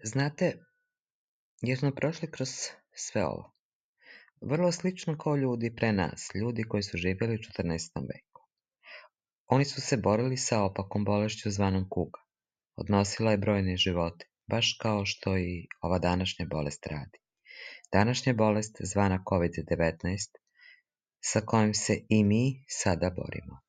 Znate, jer smo prošli kroz sve ovo. Vrlo slično kao ljudi pre nas, ljudi koji su živjeli u 14. veku. Oni su se borili sa opakom bolešću zvanom kuga. Odnosila je brojne živote, baš kao što i ova današnja bolest radi. Današnja bolest zvana COVID-19, sa kojom se i mi sada borimo.